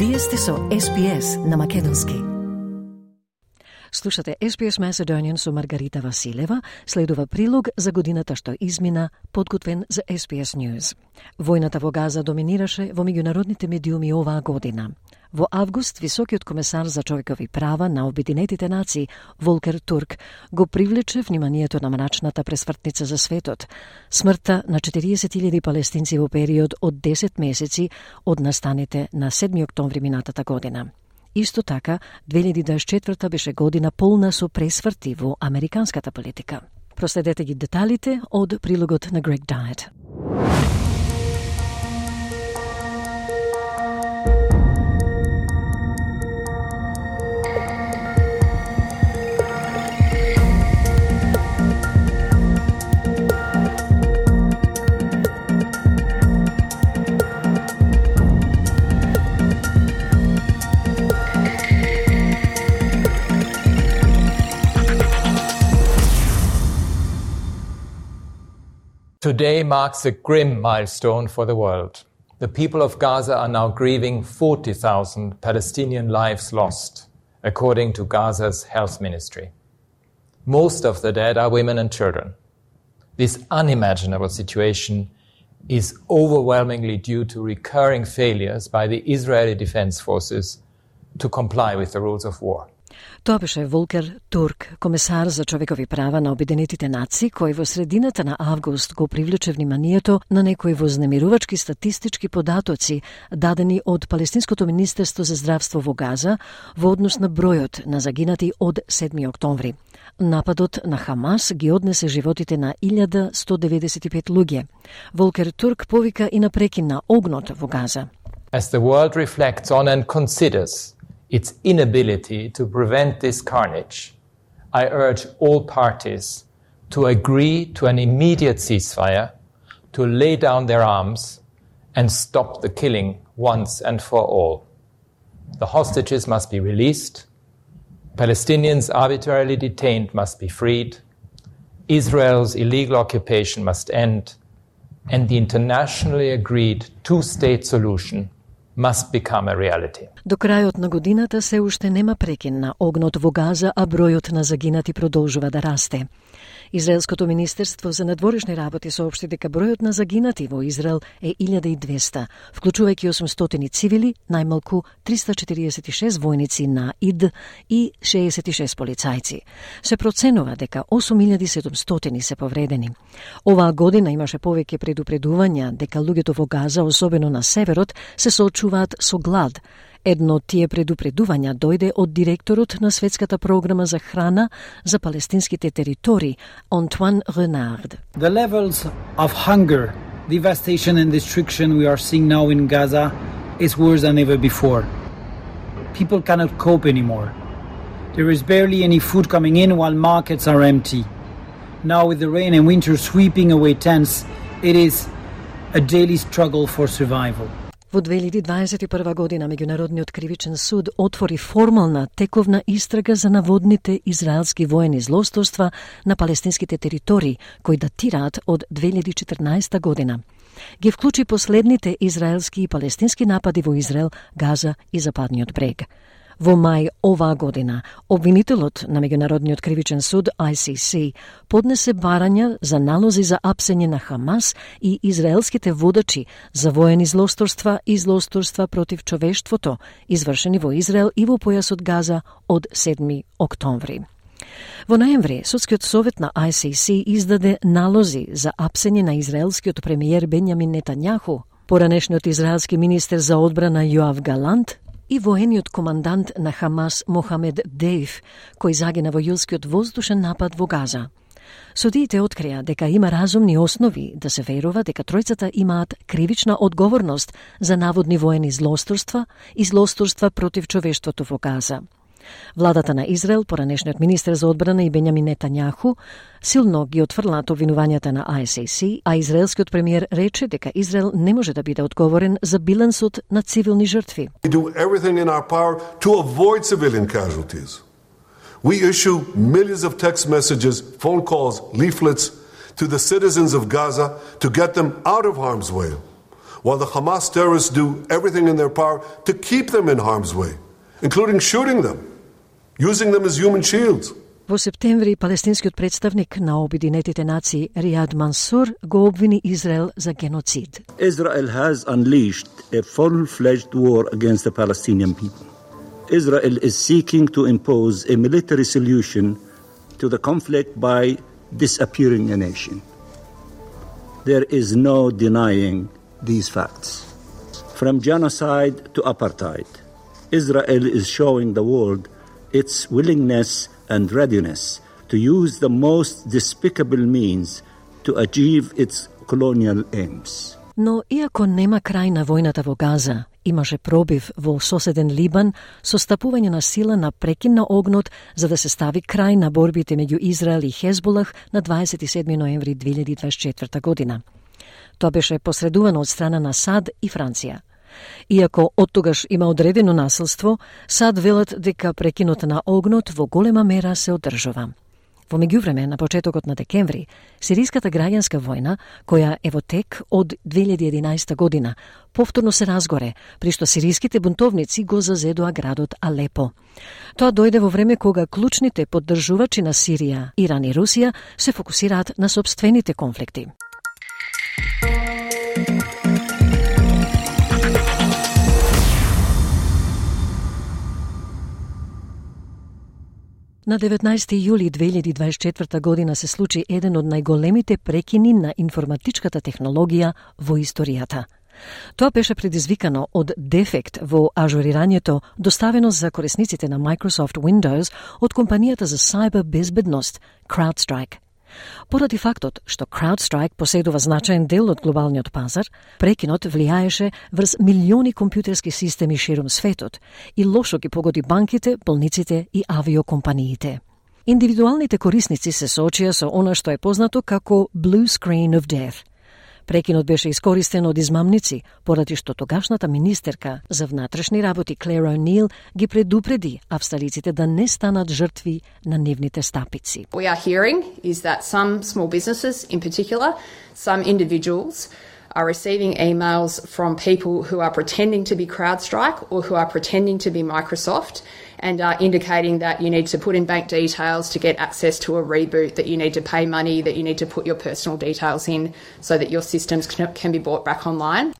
Вие сте со SPS на македонски. Слушате SPS Macedonian со Маргарита Василева, следува прилог за годината што измина, подготвен за SPS News. Војната во Газа доминираше во меѓународните медиуми оваа година. Во август, високиот комесар за човекови права на Обединетите нации, Волкер Турк, го привлече вниманието на мрачната пресмртница за светот. Смртта на 40.000 палестинци во период од 10 месеци од настаните на 7 октомври минатата година. Исто така, 2024 беше година полна со пресврти во американската политика. Проследете ги деталите од прилогот на Грег Дайет. Today marks a grim milestone for the world. The people of Gaza are now grieving 40,000 Palestinian lives lost, according to Gaza's health ministry. Most of the dead are women and children. This unimaginable situation is overwhelmingly due to recurring failures by the Israeli Defense Forces to comply with the rules of war. Тоа беше Волкер Турк, комесар за човекови права на Обединетите нации, кој во средината на август го привлече вниманието на некои вознемирувачки статистички податоци дадени од Палестинското министерство за здравство во Газа во однос на бројот на загинати од 7 октомври. Нападот на Хамас ги однесе животите на 1195 луѓе. Волкер Турк повика и на прекин на огнот во Газа. As the world reflects on and considers its inability to prevent this carnage, I urge all parties to agree to an immediate ceasefire, to lay down their arms and stop the killing once and for all. The hostages must be released, Palestinians arbitrarily detained must be freed, Israel's illegal occupation must end, and the internationally agreed two-state solution must become a reality. До крајот на годината се уште нема прекин на огнот во Газа, а бројот на загинати продолжува да расте. Израелското министерство за надворешни работи соопшти дека бројот на загинати во Израел е 1200, вклучувајќи 800 цивили, најмалку 346 војници на ИД и 66 полицајци. Се проценува дека 8700 се повредени. Оваа година имаше повеќе предупредувања дека луѓето во Газа, особено на северот, се соочуваат со глад. Едно од тие предупредувања дојде од директорот на Светската програма за храна за палестинските територии, Антуан Ренард. The levels of hunger, devastation and destruction we are seeing now in Gaza is worse than ever before. People cannot cope anymore. There is barely any food coming in while markets are empty. Now with the rain and winter sweeping away tents, it is a daily struggle for survival. Во 2021 година Меѓународниот кривичен суд отвори формална тековна истрага за наводните израелски воени злосторства на палестинските територии, кои датираат од 2014 година. Ги вклучи последните израелски и палестински напади во Израел, Газа и Западниот брег. Во мај оваа година, обвинителот на Меѓународниот кривичен суд ICC поднесе барања за налози за апсење на Хамас и израелските водачи за воени злосторства и злосторства против човештвото, извршени во Израел и во појасот Газа од 7 октомври. Во ноември, Судскиот совет на ICC издаде налози за апсење на израелскиот премиер Бенјамин Нетањаху, поранешниот израелски министер за одбрана Јоав Галант и воениот командант на Хамас Мохамед Дејф, кој загина во јулскиот воздушен напад во Газа. Судиите открија дека има разумни основи да се верува дека тројцата имаат кривична одговорност за наводни воени злосторства и злосторства против човештвото во Газа. Владата на Израел, поранешниот министер за одбрана и Бенјамин Нетањаху, силно ги отфрлаат обвинувањата на ICC, а израелскиот премиер рече дека Израел не може да биде одговорен за билансот на цивилни жртви. We do everything in our power to avoid civilian casualties. We issue millions of text messages, phone calls, leaflets to the citizens of Gaza to get them out of harm's way. while the Hamas terrorists do everything in their power to keep them in harm's way, including shooting them, using them as human shields. Во септември палестинскиот представник на Обединетите нации Ријад Мансур го обвини Израел за геноцид. Israel has unleashed a full-fledged war against the Palestinian people. Israel is seeking to impose a military solution to the conflict by disappearing a nation. There is no denying these facts. From genocide to apartheid, Israel is showing the world its willingness and readiness to use the most despicable means to achieve its colonial aims. Но иако нема крај на војната во Газа, имаше пробив во соседен Либан со стапување на сила на прекин на огнот за да се стави крај на борбите меѓу Израел и Хезболах на 27 ноември 2024 година. Тоа беше посредувано од страна на САД и Франција. Иако оттогаш има одредено насилство, САД велат дека прекинот на огнот во голема мера се одржува. Во меѓувреме, на почетокот на декември, сириската граѓанска војна, која е во тек од 2011 година, повторно се разгоре, при што сириските бунтовници го зазедоа градот Алепо. Тоа дојде во време кога клучните поддржувачи на Сирија, Иран и Русија се фокусираат на сопствените конфликти. На 19 јули 2024 година се случи еден од најголемите прекини на информатичката технологија во историјата. Тоа беше предизвикано од дефект во ажурирањето доставено за корисниците на Microsoft Windows од компанијата за cyber безбедност CrowdStrike. Поради фактот што CrowdStrike поседува значаен дел од глобалниот пазар, прекинот влијаеше врз милиони компјутерски системи ширум светот и лошо ги погоди банките, болниците и авиокомпаниите. Индивидуалните корисници се соочија со она што е познато како Blue Screen of Death. Прекинот беше искористен од измамници, поради што тогашната министерка за внатрешни работи Клер О'Нил ги предупреди австралиците да не станат жртви на нивните стапици. We are hearing is that some small businesses, in particular, some individuals are receiving emails from people who are pretending to be CrowdStrike or who are pretending to be Microsoft and are indicating that you need to put in bank details to get access to a reboot, that you need to pay money, that you need to put your personal details in so that your systems can be brought back online.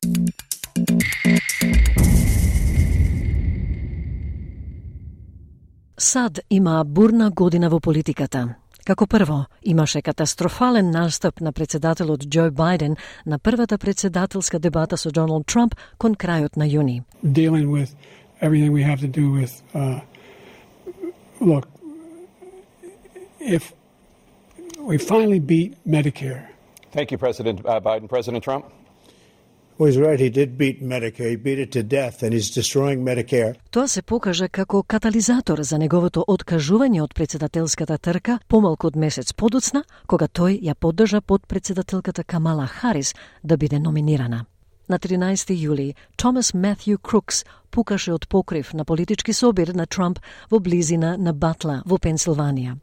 САД има бурна година во политиката. Како прво, имаше катастрофален настап на председателот Џо Бајден на првата председателска дебата со Доналд Трамп кон крајот на јуни. Dealing with everything we have to do with, look, if we finally beat Medicare. Thank you, President Biden. President Trump? Well, he's right. He did beat Medicare. He beat it to death, and he's destroying Medicare. Тоа се покажа како катализатор за неговото откажување од председателската трка помалку од месец подоцна, кога тој ја поддржа подпредседателката Камала Харис да биде номинирана. На 13 јули, Томас Матју Крукс пукаше од покрив на политички собир на Трамп во близина на Батла во Пенсилванија.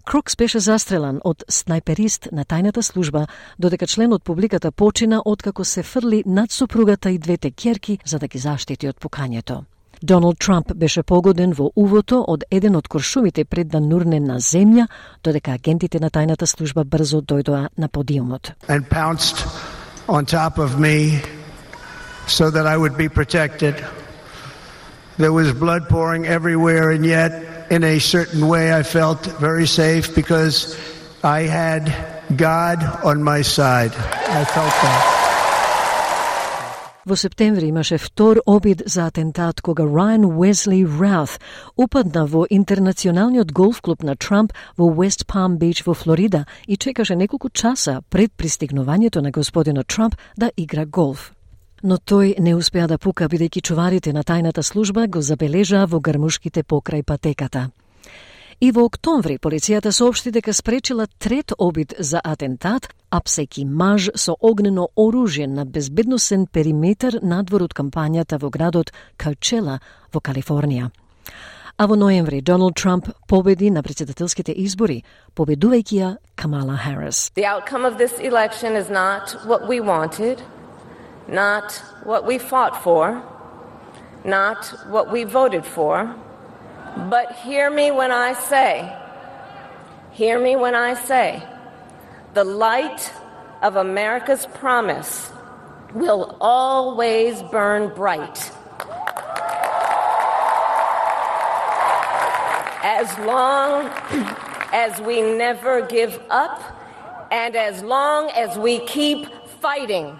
Крукс беше застрелан од снајперист на тајната служба, додека член од публиката почина откако се фрли над сопругата и двете ќерки за да ги заштити од пукањето. Доналд Трамп беше погоден во увото од еден од куршумите пред да нурне на земја, додека агентите на тајната служба брзо дојдоа на подиумот. And pounced on top of me so that I would be protected. There was blood pouring everywhere, and yet in a certain way I felt very safe because I had God on my side. I felt that. Во септември имаше втор обид за атентат кога Райан Уесли Раут упадна во интернационалниот голф клуб на Трамп во West Palm Beach во Флорида и чекаше неколку часа пред пристигнувањето на господинот Трамп да игра голф. Но тој не успеа да пука бидејќи чуварите на тајната служба го забележаа во грмушките покрај патеката. И во октомври полицијата соопшти дека спречила трет обид за атентат, апсејки маж со огнено оружје на безбедносен периметар надвор од кампањата во градот Коучела во Калифорнија. А во ноември Доналд Трамп победи на председателските избори, победувајќи ја Камала Харис. The outcome of this election is not what we wanted. not what we fought for, not what we voted for, but hear me when I say, the light of America's promise will always burn bright. As long as we never give up and as long as we keep fighting.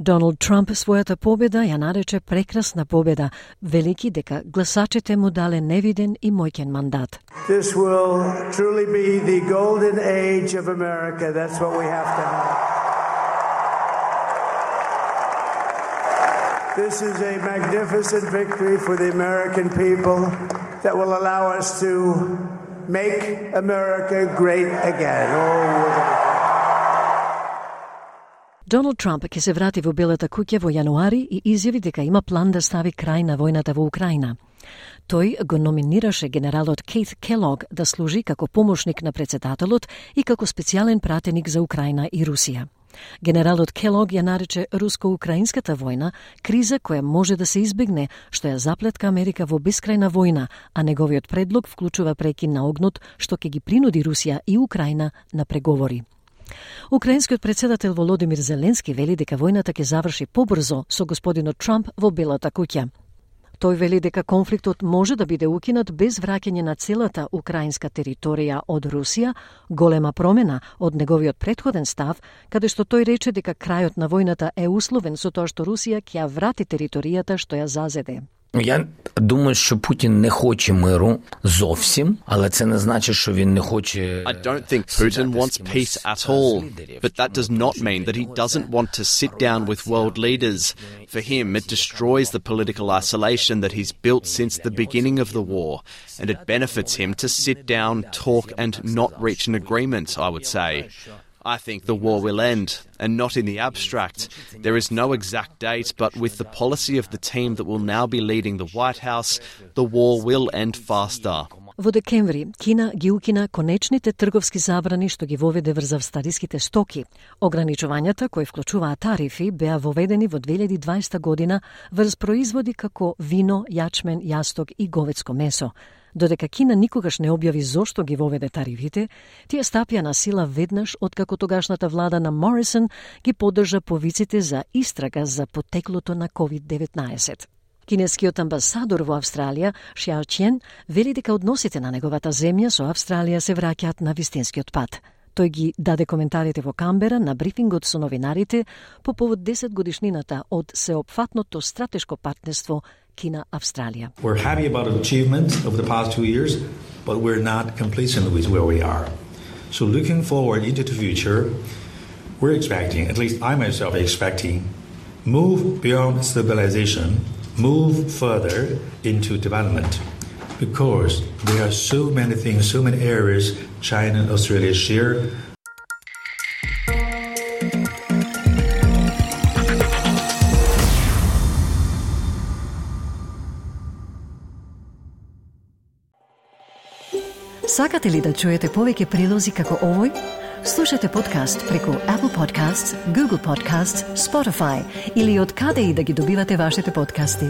Доналд Трамп својата победа ја нарече прекрасна победа, велики дека гласачите му дале невиден и моќен мандат. This will truly be the golden age of America. That's what we have to have. This is a magnificent victory for the American people that will allow us to make America great again. Доналд Трамп ќе се врати во Белата куќа во јануари и изјави дека има план да стави крај на војната во Украина. Тој го номинираше генералот Кейт Келог да служи како помошник на претседателот и како специјален пратеник за Украина и Русија. Генералот Келог ја нарече руско-украинската војна криза која може да се избегне, што ја заплетка Америка во бескрајна војна, а неговиот предлог вклучува прекин на огнот што ќе ги принуди Русија и Украина на преговори. Украинскиот претседател Володимир Зеленски вели дека војната ќе заврши побрзо со господинот Трамп во Белата куќа. Тој вели дека конфликтот може да биде укинат без враќање на целата украинска територија од Русија, голема промена од неговиот претходен став, каде што тој рече дека крајот на војната е условен со тоа што Русија ќе ја врати територијата што ја зазеде. Я думаю, що Путін не хоче миру зовсім, але це не значить, що він не хоче... I don't think Putin wants peace at all, but that does not mean that he doesn't want to sit down with world leaders. For him, it destroys the political isolation that he's built since the beginning of the war, and it benefits him to sit down, talk, and not reach an agreement, I would say. I think the war will end, and not in the abstract. There is no exact date, but with the policy of the team that will now be leading the White House, the war will end faster. Во декември, Кина ги укина конечните трговски забрани што ги воведе врз австралиските стоки. Ограничувањата, кои вклучуваат тарифи, беа воведени во 2020 година врз производи како вино, јачмен, јасток и говедско месо. Додека Кина никогаш не објави зошто ги воведе тарифите, тие стапија на сила веднаш откако тогашната влада на Морисон ги поддржа повиците за истрага за потеклото на COVID-19. Кинескиот амбасадор во Австралија, Шиао Чен, вели дека односите на неговата земја со Австралија се враќаат на вистинскиот пат. Тој ги даде коментарите во Камбера на брифингот со новинарите по повод 10 годишнината од сеопфатното стратешко партнерство Кина-Австралија. We're happy about achievements over the past 2 years, but we're not complacent with where we are. So looking forward into the future, we're expecting, at least I myself expecting, move beyond stabilization, move further into development. Because there are so many things, so many areas China and Australia share. Сакате ли да чуете повеќе прилози како овој? Слушате подкаст преку Apple Podcasts, Google Podcasts, Spotify или од каде и да ги добивате вашите подкасти.